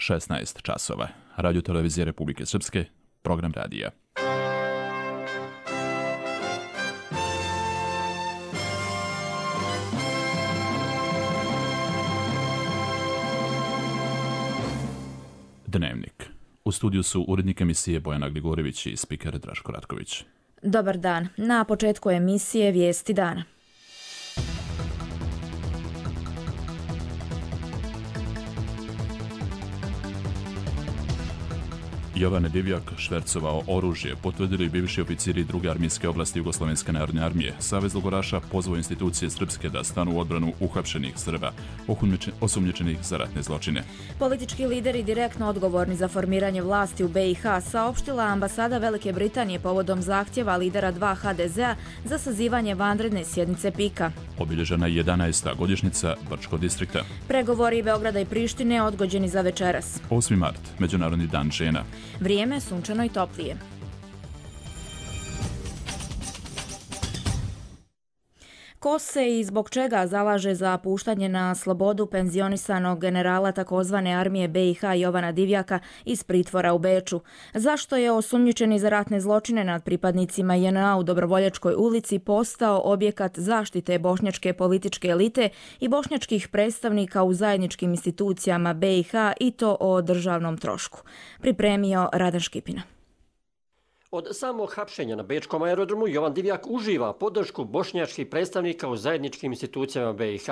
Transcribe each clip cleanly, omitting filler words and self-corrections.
16 časova. Radio Televizije Republike Srpske, program radija. Dnevnik. U studiju su urednik emisije Bojana Gligorivić i spiker Draško Ratković. Dobar dan. Na početku emisije Vijesti dana. Jovan Divjak švercovao oružje, potvrdili bivši oficiri druge armijske oblasti Jugoslovenske narodne armije. Savez logoraša pozvao institucije srpske da stanu u odbranu uhapšenih Srba, osumnjičenih za ratne zločine. Politički lideri direktno odgovorni za formiranje vlasti u BiH saopštila ambasada Velike Britanije povodom zahtjeva lidera 2 HDZ-a za sazivanje vanredne sjednice PIK-a. Obilježena je 11. godišnjica Brčkog distrikta. Pregovori Beograda i Prištine odgođeni za večeras. 8. mart, Međunarodni dan žena. Vrijeme sunčano i toplije. Ko se i zbog čega zalaže za puštanje na slobodu penzionisanog generala takozvane armije BiH Jovana Divjaka iz pritvora u Beču? Zašto je osumnjičeni za ratne zločine nad pripadnicima JNA u Dobrovoljačkoj ulici postao objekat zaštite bošnjačke političke elite i bošnjačkih predstavnika u zajedničkim institucijama BiH i to o državnom trošku? Pripremio Radan Škipina. Od samog hapšenja na bečkom aerodromu Jovan Divjak uživa podršku bošnjačkih predstavnika u zajedničkim institucijama BiH.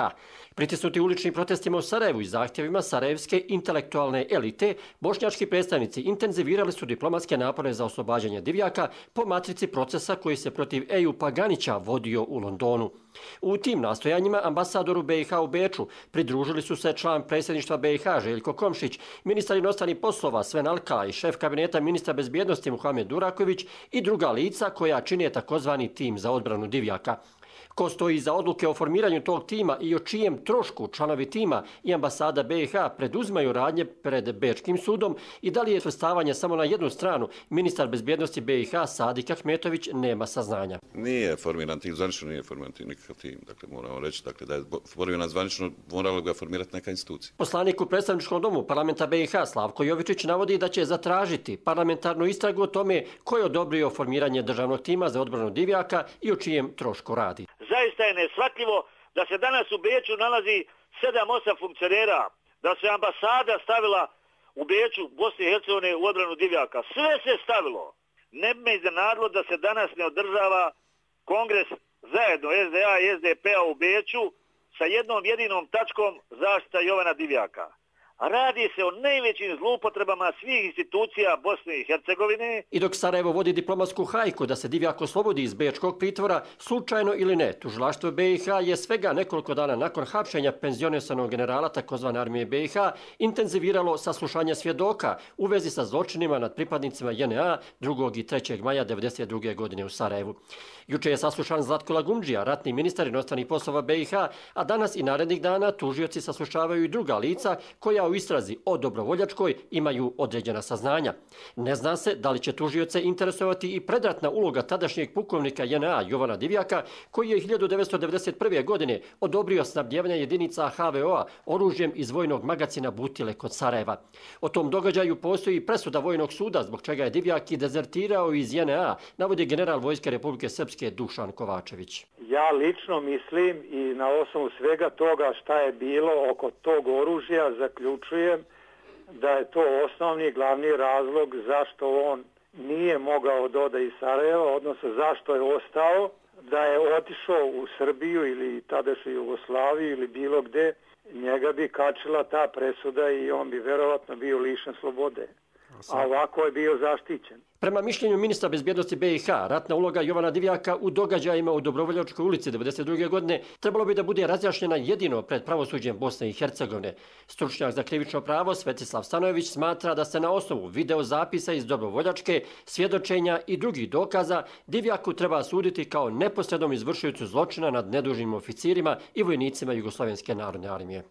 Pritisnuti uličnim protestima u Sarajevu i zahtjevima sarajevske intelektualne elite, bošnjački predstavnici intenzivirali su diplomatske napore za oslobađanje Divjaka po matrici procesa koji se protiv Ejupa Ganića vodio u Londonu. U tim nastojanjima ambasadoru BiH u Beču pridružili su se član predsjedništva BiH Željko Komšić, ministar inostranih poslova Sven Alka i šef kabineta ministra bezbjednosti Muhamed Duraković i druga lica koja čine takozvani tim za odbranu Divjaka. Ko stoji za odluke o formiranju tog tima i o čijem trošku članovi tima i ambasada BiH preduzimaju radnje pred Bečkim sudom i da li je svrstavanje samo na jednu stranu, ministar bezbjednosti BiH Sadik Ahmetović nema saznanja. Nije formiran tim, zvanično nije formiran tim nikakav tim. Dakle, moramo reći da je formiran zvanično, moralo ga formirati neka institucija. Poslanik u predstavničkom domu parlamenta BiH Slavko Jovičić navodi da će zatražiti parlamentarnu istragu o tome ko je odobrio formiranje državnog tima za odbranu Divjaka i o čijem trošku radi. Zaista je neshvatljivo da se danas u Beču nalazi 7-8 funkcionera, da se ambasada stavila u Beču, Bosne i Hercegovine u odbranu Divjaka. Sve se stavilo. Ne bi me iznenadilo da se danas ne održava kongres zajedno SDA i SDP-a u Beču sa jednom jedinom tačkom zaštita Jovana Divjaka. Radi se o najvećim zloupotrebama svih institucija Bosne i Hercegovine. I dok Sarajevo vodi diplomatsku hajku da se Divjak oslobodi iz bečkog pritvora, slučajno ili ne, tužilaštvo BiH je svega nekoliko dana nakon hapšenja penzionisanog generala takozvane armije BiH intenziviralo saslušanje svjedoka u vezi sa zločinima nad pripadnicima JNA 2. i 3. maja 1992. godine u Sarajevu. Juče je saslušan Zlatko Lagundžija, ratni ministar inostranih poslova BiH, a danas i narednih dana tužioci saslušavaju i druga lica koja u istrazi o Dobrovoljačkoj imaju određena saznanja. Ne zna se da li će tužioce interesovati i predratna uloga tadašnjeg pukovnika JNA Jovana Divjaka, koji je 1991. godine odobrio snabdjevanje jedinica HVO-a oružjem iz vojnog magacina Butile kod Sarajeva. O tom događaju postoji presuda Vojnog suda zbog čega je Divjak i dezertirao iz JNA, navodi general Vojske Republike Srpske Dušan Kovačević. Ja lično mislim i na osnovu svega toga šta je bilo oko tog oružja zaključujem da je to osnovni glavni razlog zašto on nije mogao da ode iz Sarajeva, odnosno zašto je ostao, da je otišao u Srbiju ili tadašnju Jugoslaviju ili bilo gde, njega bi kačila ta presuda i on bi verovatno bio lišen slobode. A ovako je bio zaštićen. Prema mišljenju ministra bezbjednosti BiH, ratna uloga Jovana Divjaka u događajima u Dobrovoljačkoj ulici 1992. godine trebalo bi da bude razjašnjena jedino pred pravosuđem Bosne i Hercegovine. Stručnjak za krivično pravo Svetislav Stanojević smatra da se na osnovu videozapisa iz Dobrovoljačke, svjedočenja i drugih dokaza Divjaku treba suditi kao neposrednom izvršiocu zločina nad nedužnim oficirima i vojnicima Jugoslovenske narodne armije.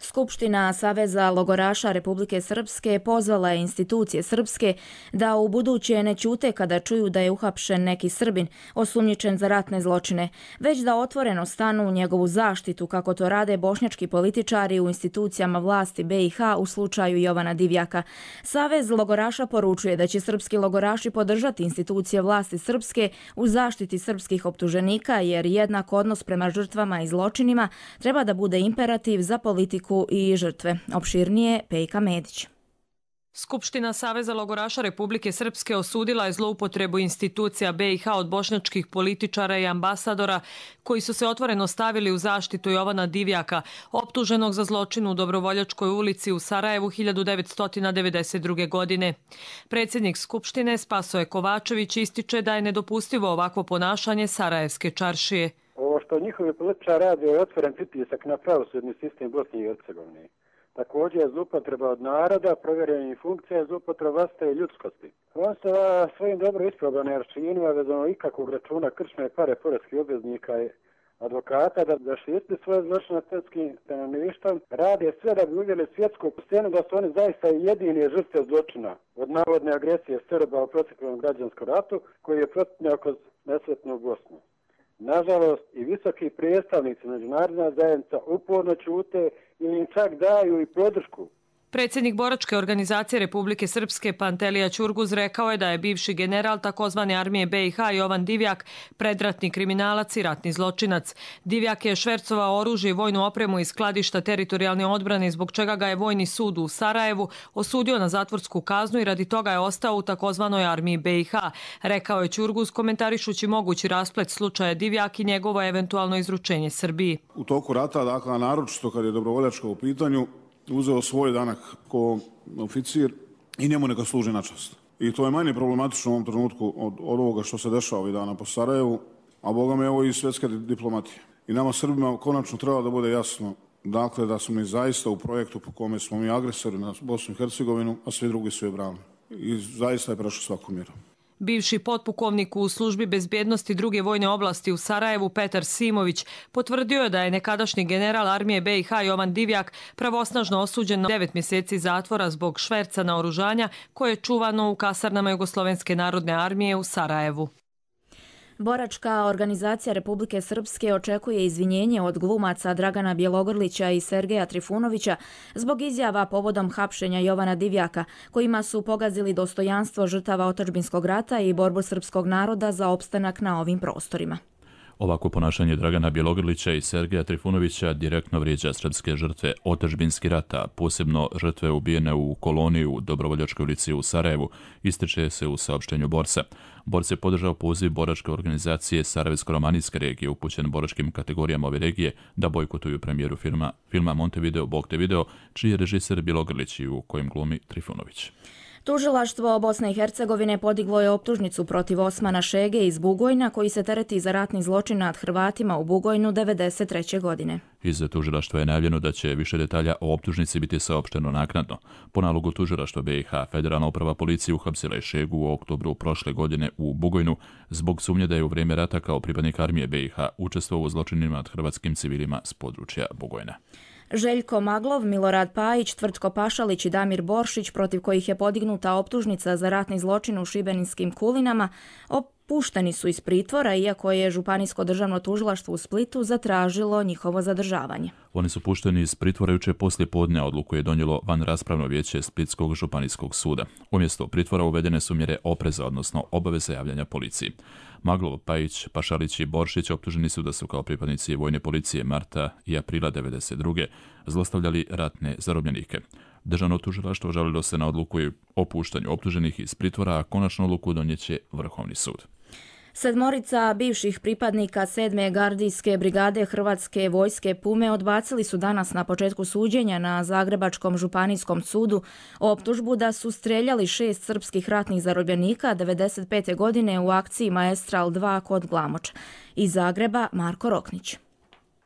Skupština Saveza logoraša Republike Srpske pozvala je institucije srpske da u buduće ne ćute kada čuju da je uhapšen neki Srbin osumnjičen za ratne zločine, već da otvoreno stanu u njegovu zaštitu kako to rade bošnjački političari u institucijama vlasti BiH u slučaju Jovana Divjaka. Savez logoraša poručuje da će srpski logoraši podržati institucije vlasti srpske u zaštiti srpskih optuženika jer jednak odnos prema žrtvama i zločinima treba da bude imperativ za politiku i žrtve. Opširnije Pejka Medić. Skupština Saveza logoraša Republike Srpske osudila je zloupotrebu institucija BiH od bošnjačkih političara i ambasadora koji su se otvoreno stavili u zaštitu Jovana Divjaka, optuženog za zločin u Dobrovoljačkoj ulici u Sarajevu 1992. godine. Predsjednik Skupštine Spasoje Kovačević ističe da je nedopustivo ovakvo ponašanje Sarajevske čaršije. Ovo što njihovi političari rade je otvoren pritisak na pravosudni sistem Bosne i Hercegovine. Također je zloupotreba od naroda, provjerenih funkcija, zloupotreba vlastite i ljudskosti. On se svojim dobro isprobanim aršinima vezano ikakvog računa kršne pare poreskih obveznika i advokata da štite svoje zločine nad srpskim stanovništvom, rade sve da bi uvjeli svjetsku scenu da su oni zaista jedini žrtve zločina od navodne agresije Srba u proteklom građanskom ratu koji je protutnjao kroz nesretnu Bosnu. Nažalost, i visoki predstavnici međunarodna zajednica uporno ćute ili im čak daju i podršku. Predsjednik boračke organizacije Republike Srpske Pantelija Ćurguz rekao je da je bivši general takozvane armije BiH Jovan Divjak predratni kriminalac i ratni zločinac. Divjak je švercovao oružje i vojnu opremu iz skladišta teritorijalne odbrane zbog čega ga je Vojni sud u Sarajevu osudio na zatvorsku kaznu i radi toga je ostao u takozvanoj armiji BiH, rekao je Ćurguz komentarišući mogući rasplet slučaja Divjak i njegovo eventualno izručenje Srbiji. U toku rata, dakle, naročito kad je dobrovoljačko u pitanju, uzeo svoj danak kao oficir i njemu neka služi na čast. I to je manje problematično u ovom trenutku od ovoga što se dešava ovih dana po Sarajevu, a boga me evo i svjetske diplomatije. I nama Srbima konačno treba da bude jasno dakle da smo mi zaista u projektu po kome smo mi agresori na Bosnu i Hercegovinu, a svi drugi su je brani. I zaista je prešao svaku mjeru. Bivši potpukovnik u službi bezbjednosti druge vojne oblasti u Sarajevu Petar Simović potvrdio je da je nekadašnji general armije BiH Jovan Divjak pravosnažno osuđen na 9 mjeseci zatvora zbog šverca naoružanja koje je čuvano u kasarnama Jugoslovenske narodne armije u Sarajevu. Boračka organizacija Republike Srpske očekuje izvinjenje od glumaca Dragana Bjelogrlića i Sergeja Trifunovića zbog izjava povodom hapšenja Jovana Divjaka, kojima su pogazili dostojanstvo žrtava otadžbinskog rata i borbu srpskog naroda za opstanak na ovim prostorima. Ovako ponašanje Dragana Bjelogrlića i Sergeja Trifunovića direktno vrijeđa srpske žrtve otadžbinskih rata, posebno žrtve ubijene u koloniji u Dobrovoljačkoj ulici u Sarajevu, ističe se u saopštenju borca. Borc je podržao poziv boračke organizacije Sarajevsko-romanijske regije upućen boračkim kategorijama ove regije da bojkotuju premijeru filma Montevideo, čiji je režiser Bjelogrlić i u kojem glumi Trifunović. Tužilaštvo Bosne i Hercegovine podiglo je optužnicu protiv Osmana Šege iz Bugojna koji se tereti za ratni zločin nad Hrvatima u Bugojnu 1993. godine. Iz tužilaštva je najavljeno da će više detalja o optužnici biti saopšteno naknadno. Po nalogu tužilaštva BiH, Federalna uprava policije uhapsila je Šegu u oktobru prošle godine u Bugojnu zbog sumnje da je u vrijeme rata kao pripadnik armije BiH učestvovao u zločinima nad hrvatskim civilima s područja Bugojna. Željko Maglov, Milorad Pajić, Tvrtko Pašalić i Damir Boršić, protiv kojih je podignuta optužnica za ratni zločin u šibeninskim Kulinama, pušteni su iz pritvora, iako je Županijsko državno tužilaštvo u Splitu zatražilo njihovo zadržavanje. Oni su pušteni iz pritvora jučer poslije podne, odluku je donijelo vanraspravno vijeće Splitskog županijskog suda. Umjesto pritvora uvedene su mjere opreza, odnosno obaveze javljanja policiji. Maglov, Pajić, Pašalić i Boršić optuženi su da su kao pripadnici vojne policije marta i aprila 1992. zlostavljali ratne zarobljenike. Državno tužilaštvo žalilo se na odluku o puštanju optuženih iz pritvora, a konačnu odluku donijeće Vrhovni sud. 7 bivših pripadnika 7. gardijske brigade Hrvatske vojske Pume odbacili su danas na početku suđenja na Zagrebačkom županijskom sudu optužbu da su streljali 6 srpskih ratnih zarobljenika 1995. godine u akciji Maestral 2 kod Glamoča. Iz Zagreba Marko Roknić.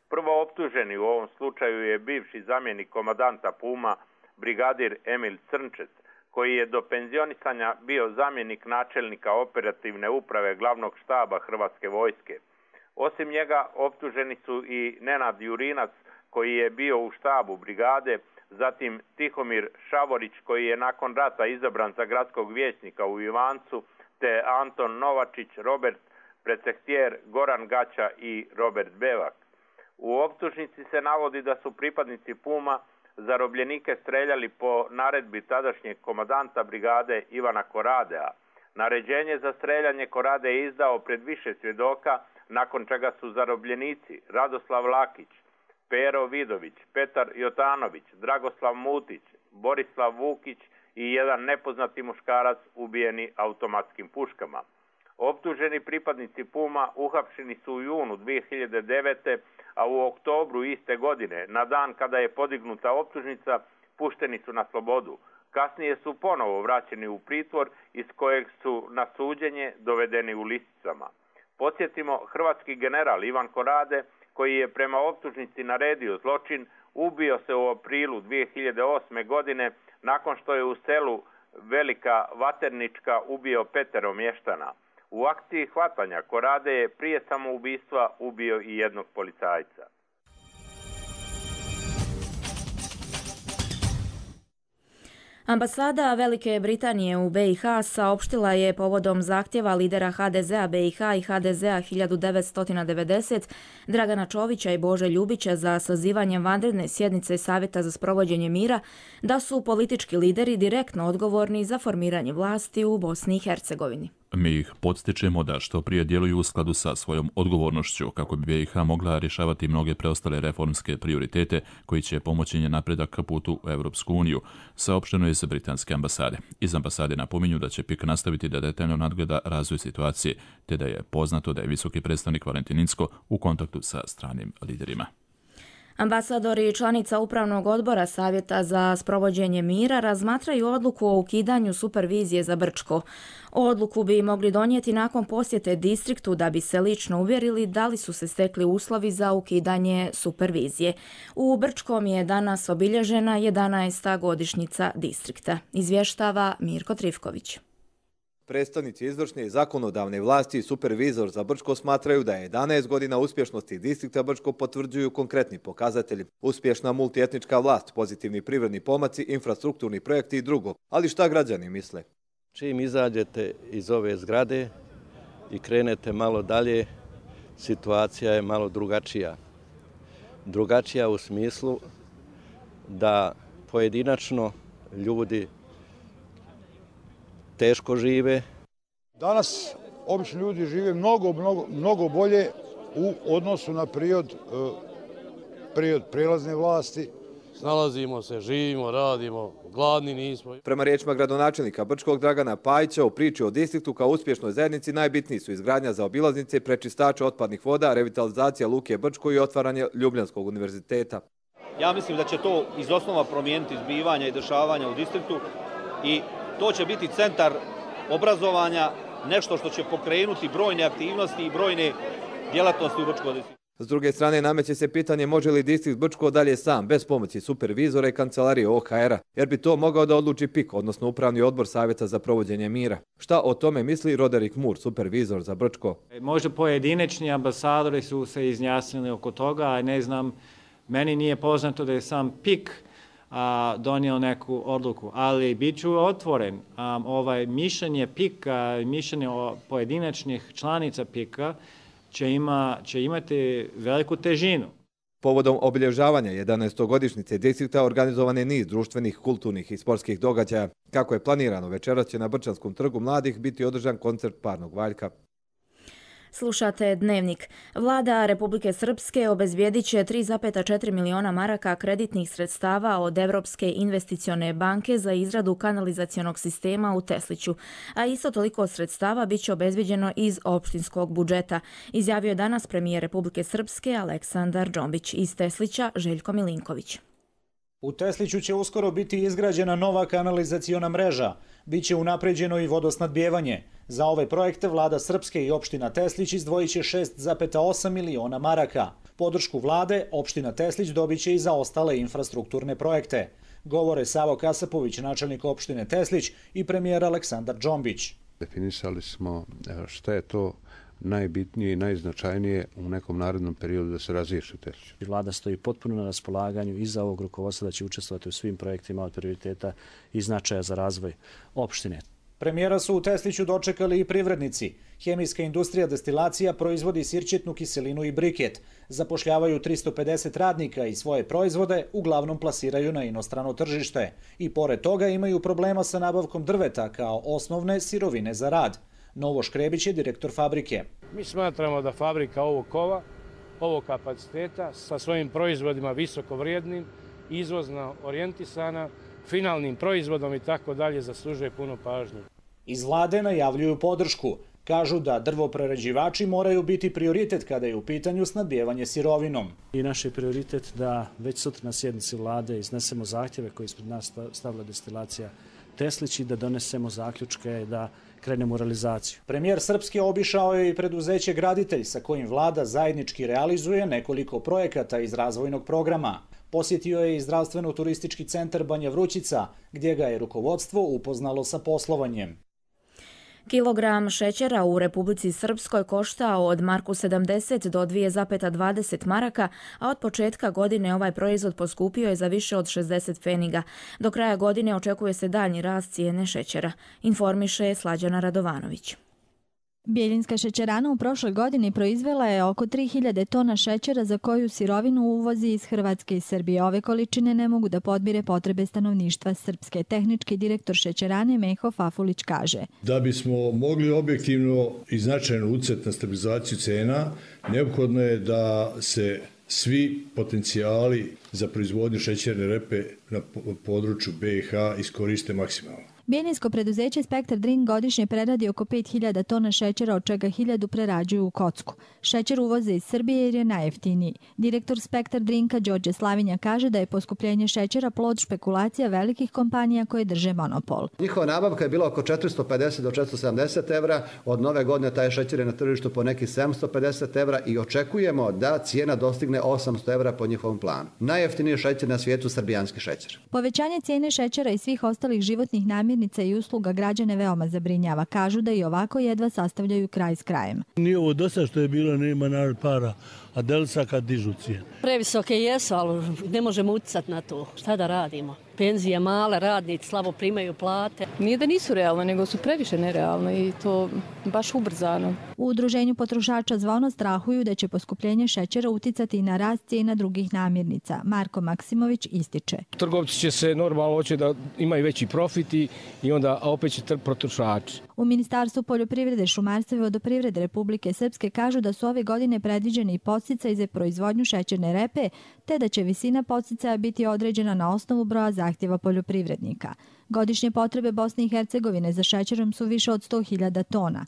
Prvo optuženi u ovom slučaju je bivši zamjenik komandanta Puma, brigadir Emil Crnčec, koji je do penzionisanja bio zamjenik načelnika operativne uprave glavnog štaba Hrvatske vojske. Osim njega optuženi su i Nenad Jurinac, koji je bio u štabu brigade, zatim Tihomir Šavorić koji je nakon rata izabran za gradskog vijećnika u Ivancu, te Anton Novačić, Robert Precehtijer, Goran Gaća i Robert Bevak. U optužnici se navodi da su pripadnici Puma zarobljenike streljali po naredbi tadašnjeg komandanta brigade Ivana Koradea. Naređenje za streljanje Korade je izdao pred više svjedoka, nakon čega su zarobljenici Radoslav Lakić, Pero Vidović, Petar Jotanović, Dragoslav Mutić, Borislav Vukić i jedan nepoznati muškarac ubijeni automatskim puškama. Optuženi pripadnici Puma uhapšeni su u junu 2009. a u oktobru iste godine, na dan kada je podignuta optužnica, pušteni su na slobodu. Kasnije su ponovo vraćeni u pritvor iz kojeg su na suđenje dovedeni u lisicama. Podsjetimo, hrvatski general Ivan Korade, koji je prema optužnici naredio zločin, ubio se u aprilu 2008. godine nakon što je u selu Velika Vaternička ubio 5 mještana. U akciji hvatanja Korade je prije samoubistva ubio i jednog policajca. Ambasada Velike Britanije u BiH saopštila je povodom zahtjeva lidera HDZ-a BiH i HDZ-a 1990 Dragana Čovića i Bože Ljubića za sazivanjem vanredne sjednice Savjeta za sprovođenje mira da su politički lideri direktno odgovorni za formiranje vlasti u Bosni i Hercegovini. Mi ih podstičemo da što prije djeluju u skladu sa svojom odgovornošću kako bi BiH mogla rješavati mnoge preostale reformske prioritete koji će pomoći njen napredak putu u Europsku uniju, saopšteno je iz britanske ambasade. Iz ambasade napominju da će PIK nastaviti da detaljno nadgleda razvoj situacije, te da je poznato da je visoki predstavnik Valentin Incko u kontaktu sa stranim liderima. Ambasador i članica Upravnog odbora Savjeta za sprovođenje mira razmatraju odluku o ukidanju supervizije za Brčko. Odluku bi mogli donijeti nakon posjete distriktu da bi se lično uvjerili da li su se stekli uslovi za ukidanje supervizije. U Brčkom je danas obilježena 11. godišnjica distrikta, izvještava Mirko Trifković. Predstavnici izvršne i zakonodavne vlasti i supervizor za Brčko smatraju da je 11 godina uspješnosti distrikta Brčko potvrđuju konkretni pokazatelji. Uspješna multietnička vlast, pozitivni privredni pomaci, infrastrukturni projekti i drugo. Ali šta građani misle? Čim izađete iz ove zgrade i krenete malo dalje, situacija je malo drugačija. Drugačija u smislu da pojedinačno ljudi teško žive. Danas obični ljudi žive mnogo bolje u odnosu na period prijelazne vlasti. Snalazimo se, živimo, radimo, gladni nismo. Prema riječima gradonačelnika Brčkog Dragana Pajića, u priči o distriktu kao uspješnoj zajednici najbitniji su izgradnja zaobilaznice, prečistača otpadnih voda, revitalizacija Luke Brčko i otvaranje Ljubljanskog univerziteta. Ja mislim da će to iz osnova promijeniti zbivanja i dešavanja u distriktu i to će biti centar obrazovanja, nešto što će pokrenuti brojne aktivnosti i brojne djelatnosti u Brčkom distriktu. S druge strane, nameće se pitanje može li distrikt Brčko dalje sam, bez pomoći supervizora i kancelarije OHR-a, jer bi to mogao da odluči PIK, odnosno Upravni odbor Savjeta za provođenje mira. Šta o tome misli Roderick Moore, supervizor za Brčko? Možda pojedinačni ambasadori su se izjasnili oko toga, a ne znam, meni nije poznato da je sam PIK donio neku odluku, ali bit ću otvoren. Mišljenje PIK-a, mišljenje pojedinačnih članica PIK-a će imati veliku težinu. Povodom obilježavanja 11. godišnjice distrikta organizovan je niz društvenih, kulturnih i sportskih događaja. Kako je planirano, večeras će na Brčanskom trgu mladih biti održan koncert parnog valjka. Slušate Dnevnik. Vlada Republike Srpske obezbijedit će 3,4 miliona maraka kreditnih sredstava od Evropske investicione banke za izradu kanalizacionog sistema u Tesliću, a isto toliko sredstava bit će obezbijeđeno iz opštinskog budžeta, izjavio je danas premijer Republike Srpske Aleksandar Džombić. Iz Teslića Željko Milinković. U Tesliću će uskoro biti izgrađena nova kanalizaciona mreža. Biće unapređeno i vodosnadbijevanje. Za ove projekte vlada Srpske i opština Teslić izdvojit će 6,8 miliona maraka. Podršku vlade opština Teslić dobit će i za ostale infrastrukturne projekte. Govore Savo Kasapović, načelnik opštine Teslić, i premijer Aleksandar Džombić. Definisali smo šta je to najbitnije i najznačajnije u nekom narednom periodu da se razriješi Teslić. Vlada stoji potpuno na raspolaganju i za ovog rukovodstva da će učestvovati u svim projektima od prioriteta i značaja za razvoj opštine. Premijera su u Tesliću dočekali i privrednici. Hemijska industrija destilacija proizvodi sirćetnu kiselinu i briket. Zapošljavaju 350 radnika i svoje proizvode uglavnom plasiraju na inostrano tržište. I pored toga imaju problema sa nabavkom drveta kao osnovne sirovine za rad. Novo Škrebić je direktor fabrike. Mi smatramo da fabrika ovog kapaciteta sa svojim proizvodima visoko vrijednim, izvozno orijentisana, finalnim proizvodom i tako dalje zaslužuje puno pažnje. Iz vlade najavljuju podršku. Kažu da drvoprerađivači moraju biti prioritet kada je u pitanju snabdijevanje sirovinom. I naš je prioritet da već sutra na sjednici vlade iznesemo zahtjeve koje ispred nas stavila destilacija Teslić i da donesemo zaključke da krenemo u realizaciju. Premijer Srpske obišao je i preduzeće Graditelj sa kojim vlada zajednički realizuje nekoliko projekata iz razvojnog programa. Posjetio je i zdravstveno-turistički centar Banja Vrućica, gdje ga je rukovodstvo upoznalo sa poslovanjem. Kilogram šećera u Republici Srpskoj koštao od marku 70 do 2,20 maraka, a od početka godine ovaj proizvod poskupio je za više od 60 pfeniga. Do kraja godine očekuje se daljnji rast cijene šećera, informiše Slađana Radovanović. Bjeljinska šećerana u prošloj godini proizvela je oko 3000 tona šećera za koju sirovinu uvozi iz Hrvatske i Srbije. Ove količine ne mogu da podmire potrebe stanovništva Srpske. Tehnički direktor šećerane Meho Fafulić kaže: Da bismo mogli objektivno i značajno utjecati na stabilizaciju cena, neophodno je da se svi potencijali za proizvodnju šećerne repe na području BiH iskoriste maksimalno. Bjeljinsko preduzeće Spektar Drink godišnje preradi oko 5000 tona šećera, od čega 1000 prerađuju u kocku. Šećer uvoze iz Srbije jer je najjeftiniji. Direktor Spektar Drinka Đorđe Slavinja kaže da je poskupljenje šećera plod špekulacija velikih kompanija koje drže monopol. Njihova nabavka je bila oko 450 do 470 evra. Od nove godine taj šećer je na tržištu po nekih 750 evra i očekujemo da cijena dostigne 800 evra po njihovom planu. Najjeftiniji šećer na svijetu, srbijanski šećer. Povećanje cijene šećera i svih ostalih životnih namirnica i usluga građane veoma zabrinjava. Kažu da i ovako jedva sastavljaju kraj s krajem. Nije ovo dosta što je bilo, nema narod para, a delsa kad dižu cijene. Previsoke jesu, ali ne možemo utjecati na to. Šta da radimo? Penzije male, radnici slabo primaju plate. Nije da nisu realne, nego su previše nerealne i to baš ubrzano. U Udruženju potrošača Zvono strahuju da će poskupljenje šećera uticati i na rast cijena drugih namirnica. Marko Maksimović ističe: Trgovci će se normalno hoće da imaju veći profit i onda opet će potrošači. U Ministarstvu poljoprivrede, šumarstva i vodoprivrede Republike Srpske kažu da su ove godine predviđeni i podsticaji za proizvodnju šećerne repe, te da će visina podsticaja biti određena na osnovu broja zahtjeva poljoprivrednika. Godišnje potrebe Bosne i Hercegovine za šećerom su više od 100.000 tona.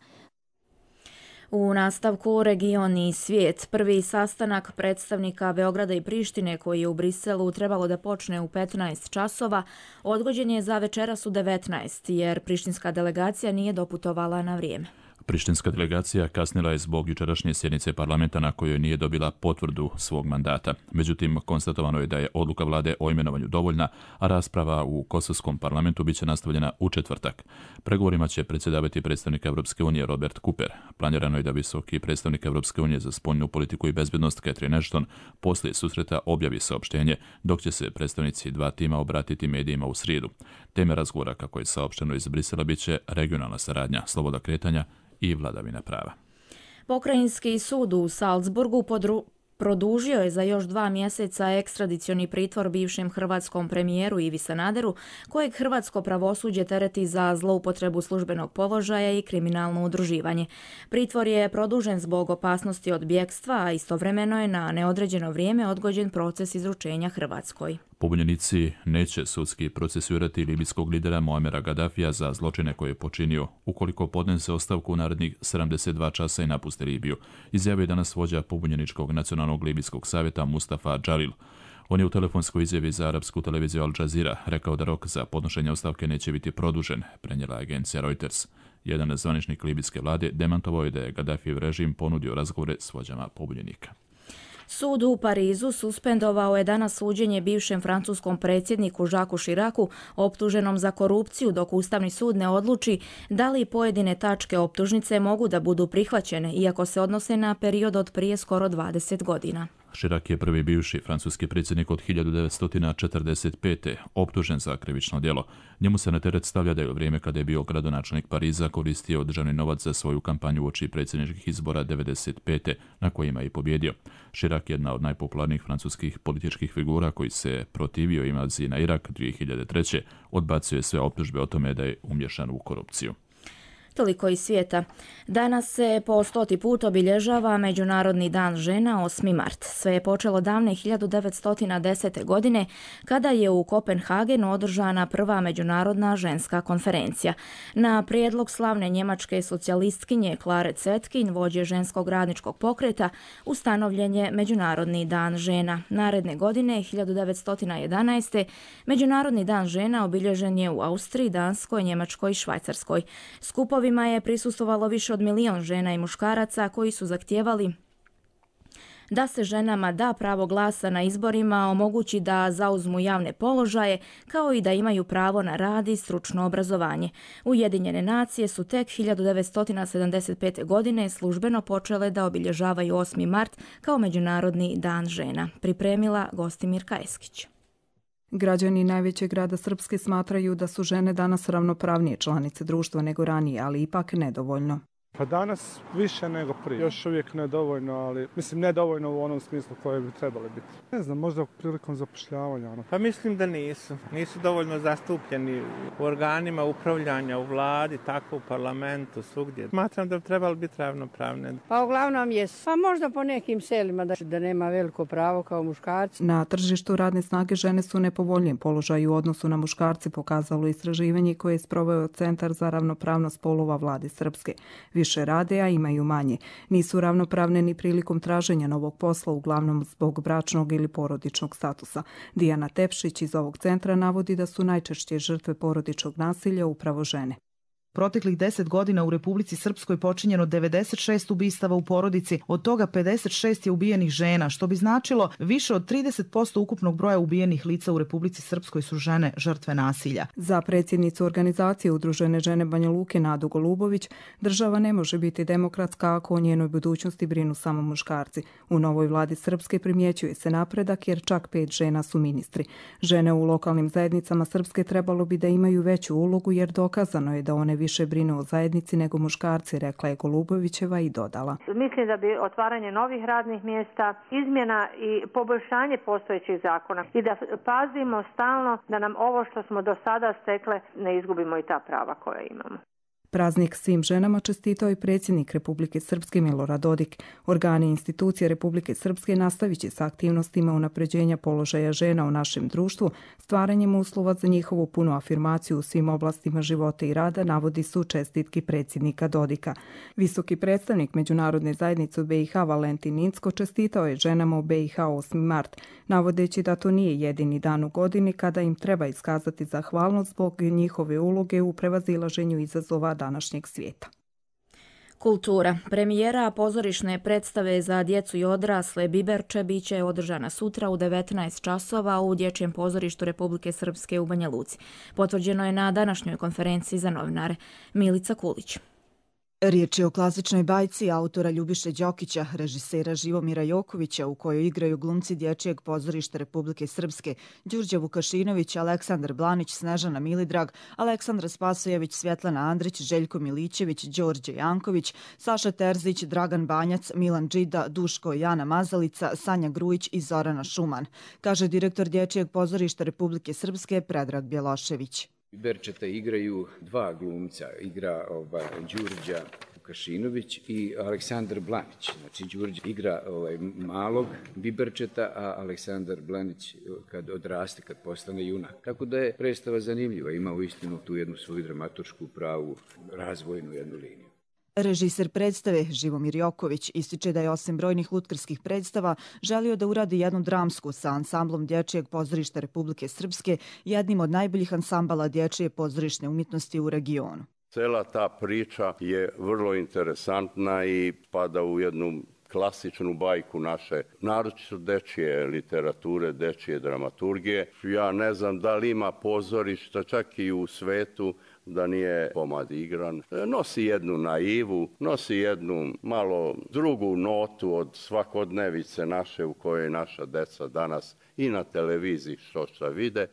U nastavku region i svijet. Prvi sastanak predstavnika Beograda i Prištine, koji je u Briselu trebalo da počne u 15 časova, odgođen je za večeras u 19, jer prištinska delegacija nije doputovala na vrijeme. Prištinska delegacija kasnila je zbog jučerašnje sjednice parlamenta na kojoj nije dobila potvrdu svog mandata. Međutim, konstatovano je da je odluka vlade o imenovanju dovoljna, a rasprava u kosovskom parlamentu biće nastavljena u četvrtak. Pregovorima će predsjedavati predstavnik Evropske unije Robert Cooper. Planirano je da visoki predstavnik Evropske unije za spoljnu politiku i bezbednost Catherine Ashton poslije susreta objavi saopštenje, dok će se predstavnici dva tima obratiti medijima u srijedu. Teme razgovora, kako je saopšteno iz Brisela, biće regionalna saradnja, sloboda kretanja i vladavina prava. Pokrajinski sud u Salzburgu produžio je za još 2 mjeseca ekstradicioni pritvor bivšem hrvatskom premijeru Ivi Sanaderu, kojeg hrvatsko pravosuđe tereti za zloupotrebu službenog položaja i kriminalno udruživanje. Pritvor je produžen zbog opasnosti od bjegstva, a istovremeno je na neodređeno vrijeme odgođen proces izručenja Hrvatskoj. Pobunjenici neće sudski procesuirati libijskog lidera Muamera Gaddafija za zločine koje je počinio, ukoliko podnese ostavku u narednih 72 časa i napusti Libiju, izjavio je danas vođa pobunjeničkog nacionalnog libijskog savjeta Mustafa Džalil. On je u telefonskoj izjavi za arapsku televiziju Al Jazeera rekao da rok za podnošenje ostavke neće biti produžen, prenijela agencija Reuters. Jedan zvaničnik libijske vlade demantovao je da je Gaddafijev režim ponudio razgovore s vođama pobunjenika. Sud u Parizu suspendovao je danas suđenje bivšem francuskom predsjedniku Jacques Chiracu optuženom za korupciju dok Ustavni sud ne odluči da li pojedine tačke optužnice mogu da budu prihvaćene iako se odnose na period od prije skoro 20 godina. Chirac je prvi bivši francuski predsjednik od 1945. optužen za krivično djelo. Njemu se na teret stavlja da je u vrijeme kada je bio gradonačelnik Pariza koristio državni novac za svoju kampanju uoči predsjedničkih izbora 1995. na kojima je i pobjedio. Chirac je jedna od najpopularnijih francuskih političkih figura koji se protivio invaziji na Irak 2003. Odbacio je sve optužbe o tome da je umješan u korupciju. Toliko iz svijeta. Danas se po 100. put obilježava Međunarodni dan žena 8. mart. Sve je počelo davne 1910. godine kada je u Kopenhagenu održana prva međunarodna ženska konferencija. Na prijedlog slavne njemačke socijalistkinje Klare Zetkin, vođe ženskog radničkog pokreta, ustanovljen je Međunarodni dan žena. Naredne godine, 1911. Međunarodni dan žena obilježen je u Austriji, Danskoj, Njemačkoj i Švajcarskoj. Skupovi je prisustvovalo više od 1 milion žena i muškaraca koji su zahtijevali da se ženama da pravo glasa na izborima, omogući da zauzmu javne položaje, kao i da imaju pravo na rad i stručno obrazovanje. Ujedinjene nacije su tek 1975. godine službeno počele da obilježavaju 8. mart kao Međunarodni dan žena. Pripremila Gostimirka Eskić. Građani najvećeg grada Srpske smatraju da su žene danas ravnopravnije članice društva nego ranije, ali ipak nedovoljno. Pa danas više nego prije. Još uvijek nedovoljno, ali mislim nedovoljno u onom smislu koje bi trebali biti. Ne znam, možda prilikom zapošljavanja. Pa mislim da nisu. Nisu dovoljno zastupljeni u organima upravljanja, u vladi, tako u parlamentu, svugdje. Smatram da bi trebali biti ravnopravne. Pa uglavnom je, pa možda po nekim selima da nema veliko pravo kao muškarci. Na tržištu radne snage žene su u nepovoljnijem položaju u odnosu na muškarce, pokazalo istraživanje koje je sproveo Centar za ravnopravnost polova vlade Srpske. Više rade, a imaju manje. Nisu ravnopravne ni prilikom traženja novog posla, uglavnom zbog bračnog ili porodičnog statusa. Dijana Tepšić iz ovog centra navodi da su najčešće žrtve porodičnog nasilja upravo žene. Proteklih 10 godina u Republici Srpskoj počinjeno 96 ubistava u porodici, od toga 56 je ubijenih žena, što bi značilo više od 30% ukupnog broja ubijenih lica u Republici Srpskoj su žene žrtve nasilja. Za predsjednicu organizacije Udružene žene Banja Luke Nadu Golubović, država ne može biti demokratska ako o njenoj budućnosti brinu samo muškarci. U novoj vladi Srpske primjećuje se napredak jer čak 5 žena su ministri. Žene u lokalnim zajednicama Srpske trebalo bi da imaju veću ulogu jer dokazano je da one više brinu o zajednici nego muškarci, rekla je Golubovićeva i dodala. Mislim da bi otvaranje novih radnih mjesta, izmjena i poboljšanje postojećih zakona i da pazimo stalno da nam ovo što smo do sada stekle ne izgubimo i ta prava koja imamo. Praznik svim ženama čestitao i predsjednik Republike Srpske Milorad Dodik. Organi i institucije Republike Srpske nastavit će sa aktivnostima unapređenja položaja žena u našem društvu, stvaranjem uslova za njihovu punu afirmaciju u svim oblastima života i rada, navodi su čestitki predsjednika Dodika. Visoki predstavnik Međunarodne zajednice u BiH Valentin Incko čestitao je ženama u BiH 8. mart, navodeći da to nije jedini dan u godini kada im treba iskazati zahvalnost zbog njihove uloge u prevazilaženju izazova današnjeg svijeta. Kultura. Premijera pozorišne predstave za djecu i odrasle Biberče biće održana sutra u 19 časova u Dječjem pozorištu Republike Srpske u Banja Luci. Potvrđeno je na današnjoj konferenciji za novinare. Milica Kulić. Riječ je o klasičnoj bajci autora Ljubiše Đokića, režisera Živomira Jokovića, u kojoj igraju glumci Dječjeg pozorišta Republike Srpske, Đurđe Vukašinović, Aleksandar Blanić, Snežana Milidrag, Aleksandra Spasojević, Svjetlana Andrić, Željko Milićević, Đorđe Janković, Saša Terzić, Dragan Banjac, Milan Džida, Duško i Jana Mazalica, Sanja Grujić i Zorana Šuman, kaže direktor Dječjeg pozorišta Republike Srpske Predrag Bjelošević. Biberčeta igraju dva glumca, igra Đurđa Vukašinović i Aleksandar Blanić. Znači Đurđe igra malog Biberčeta, a Aleksandar Blanić kad odraste, kad postane junak. Tako da je predstava zanimljiva, ima uistinu tu jednu svoju dramaturšku pravu, razvojnu jednu liniju. Režiser predstave Živomir Joković ističe da je osim brojnih lutkarskih predstava želio da uradi jednu dramsku sa ansamblom Dječjeg pozorišta Republike Srpske, jednim od najboljih ansambala dječje pozorišne umjetnosti u regionu. Cela ta priča je vrlo interesantna i pada u jednu klasičnu bajku naše, naročito dečije literature, dečije dramaturgije. Ja ne znam da li ima pozorišta čak i u svetu da nije komad igran. Nosi jednu naivu, nosi jednu malo drugu notu od svakodnevice naše u kojoj naša deca danas i na televiziji što vide.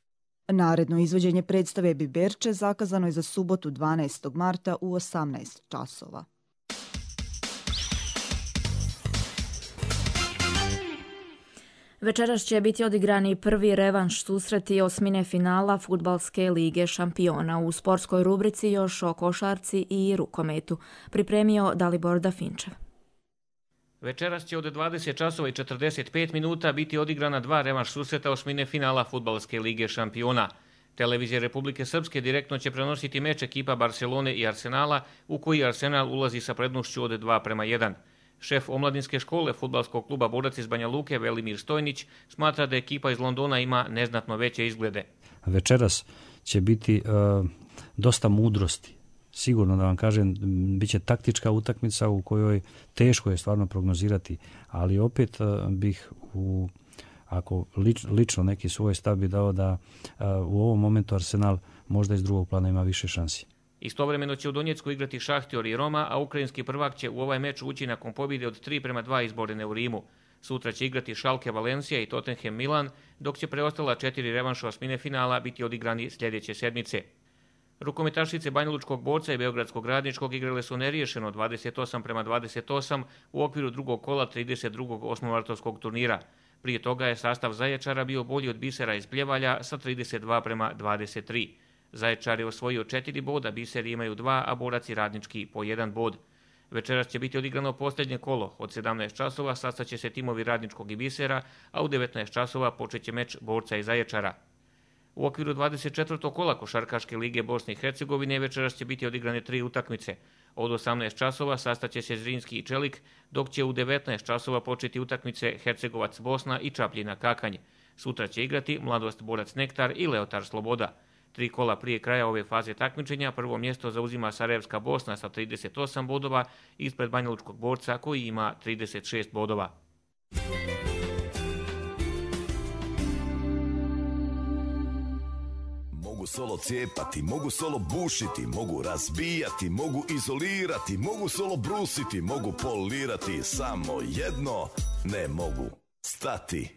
Naredno izvođenje predstave Biberče zakazano je za subotu 12. marta u 18 časova. Večeras će biti odigrani prvi revanš susreti osmine finala Fudbalske lige šampiona. U sportskoj rubrici još o košarci i rukometu. Pripremio Dalibor Dafinčev. Večeras će od 20 časova i 45 minuta biti odigrana dva revanš susreta osmine finala Fudbalske lige šampiona. Televizija Republike Srpske direktno će prenositi meč ekipa Barcelone i Arsenala, u koji Arsenal ulazi sa prednošću od 2:1. Šef omladinske škole fudbalskog kluba Borac iz Banja Luke, Velimir Stojnić, smatra da ekipa iz Londona ima neznatno veće izglede. Večeras će biti dosta mudrosti. Sigurno da vam kažem, bit će taktička utakmica u kojoj teško je stvarno prognozirati, ali opet bih ako lično neki svoj stav bi dao da u ovom momentu Arsenal možda iz drugog plana ima više šansi. Istovremeno će u Donjecku igrati Šahtior i Roma, a ukrajinski prvak će u ovaj meč ući nakon pobjede od 3:2 izborene u Rimu. Sutra će igrati Schalke Valencija i Tottenham Milan, dok će preostala 4 revanša osmine finala biti odigrani sljedeće sedmice. Rukometašice Banjalučkog Borca i Beogradskog Radničkog igrale su neriješeno 28:28 u okviru drugog kola 32. osmomartovskog turnira. Prije toga je sastav Zaječara bio bolji od Bisera iz Pljevalja sa 32:23. Zaječar je osvojio 4 boda, Biseri imaju 2, a Borac i Radnički po 1 bod. Večeras će biti odigrano posljednje kolo. Od 17 časova sastaće se timovi Radničkog i Bisera, a u 19 časova počeće meč Borca i Zaječara. U okviru 24. kola Košarkaške lige Bosne i Hercegovine večeras će biti odigrane 3 utakmice. Od 18 časova sastaće se Zrinski i Čelik, dok će u 19 časova početi utakmice Hercegovac Bosna i Čapljina Kakanj. Sutra će igrati Mladost Borac Nektar i Leotar Sloboda. 3 kola prije kraja ove faze takmičenja prvo mjesto zauzima Sarajevska Bosna sa 38 bodova ispred Banjalučkog Borca koji ima 36 bodova. Mogu solo cijepati, mogu solo bušiti, mogu razbijati, mogu izolirati, mogu solo brusiti, mogu polirati, samo jedno ne mogu stati.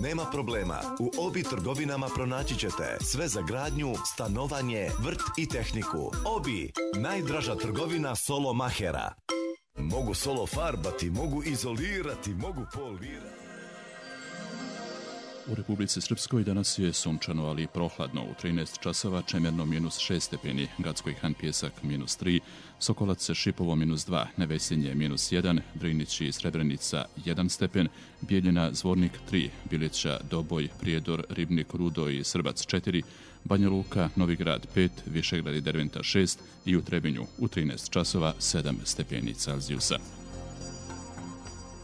Nema problema, u Obi trgovinama pronaći ćete sve za gradnju, stanovanje, vrt i tehniku. Obi, najdraža trgovina solo mahera. Mogu solo farbati, mogu izolirati, mogu polirati. U Republici Srpskoj danas je sunčano, ali prohladno. U 13 časova Čemerno -6 stepeni, Gacko Han Pjesak -3, Sokolac Šipovo -2, Nevesinje -1, Drinić i Srebrenica 1 stepen, Bijeljina Zvornik 3, Bilića Doboj, Prijedor, Ribnik, Rudo i Srbac 4, Banja Luka, Novi Grad 5, Višegrad i Derventa 6 i u Trebinju u 13 časova 7 stepeni Celzijusa.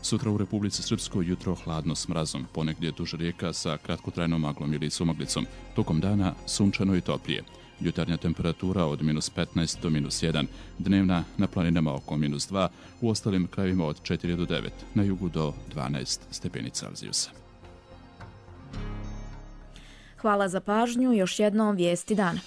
Sutra u Republici Srpskoj jutro hladno s mrazom, ponegdje duž rijeka sa kratkotrajnom maglom ili sumaglicom. Tokom dana sunčano i toplije. Jutarnja temperatura od -15 do -1, dnevna na planinama oko -2, u ostalim krajevima od 4 do 9, na jugu do 12 stepeni Celzijusa. Hvala za pažnju, još jednom vijesti dana.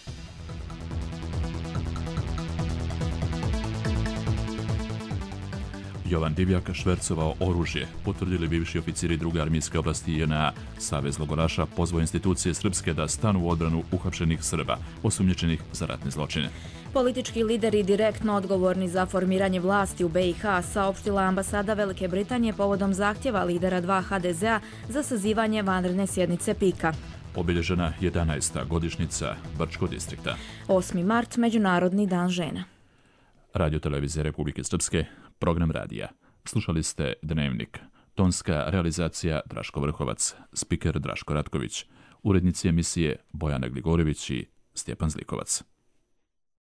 Jovan Divjak švercovao oružje, potvrdili bivši oficiri druge armijske oblasti JNA. Savez logoraša pozvao institucije srpske da stanu u odbranu uhapšenih Srba, osumnjičenih za ratne zločine. Politički lideri direktno odgovorni za formiranje vlasti u BiH saopštila ambasada Velike Britanije povodom zahtjeva lidera 2 HDZ-a za sazivanje vanredne sjednice PIK-a. Obilježena 11. godišnjica Brčkog distrikta. 8. mart, Međunarodni dan žena. Radio televizije Republike Srpske, program radija. Slušali ste Dnevnik. Tonska realizacija Draško Vrhovac, spiker Draško Ratković, urednici emisije Bojana Gligorević i Stjepan Zlikovac.